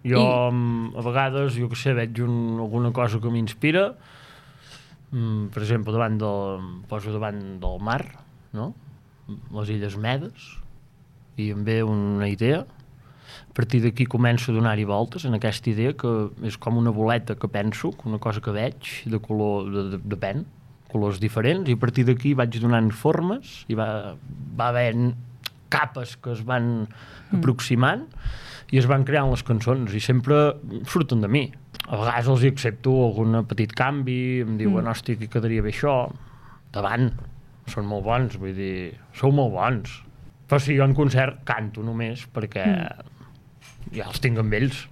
Jo, a vegades, jo que sé, veig alguna cosa que m'inspira, per exemple, poso davant del mar, no? Les Illes Medes, i em ve una idea. A partir d'aquí començo a donar-hi voltes en aquesta idea, que és com una boleta que penso, una cosa que veig, de color, depèn, colors diferents, i a partir d'aquí vaig donant formes, i va havent capes que es van aproximant, i es van creant les cançons, i sempre surten de mi. A vegades els hi accepto algun petit canvi, em diuen, hòstia, que quedaria bé això. Davant, són molt bons, vull dir, sou molt bons. Però si jo en concert canto només perquè ja els tinc amb ells.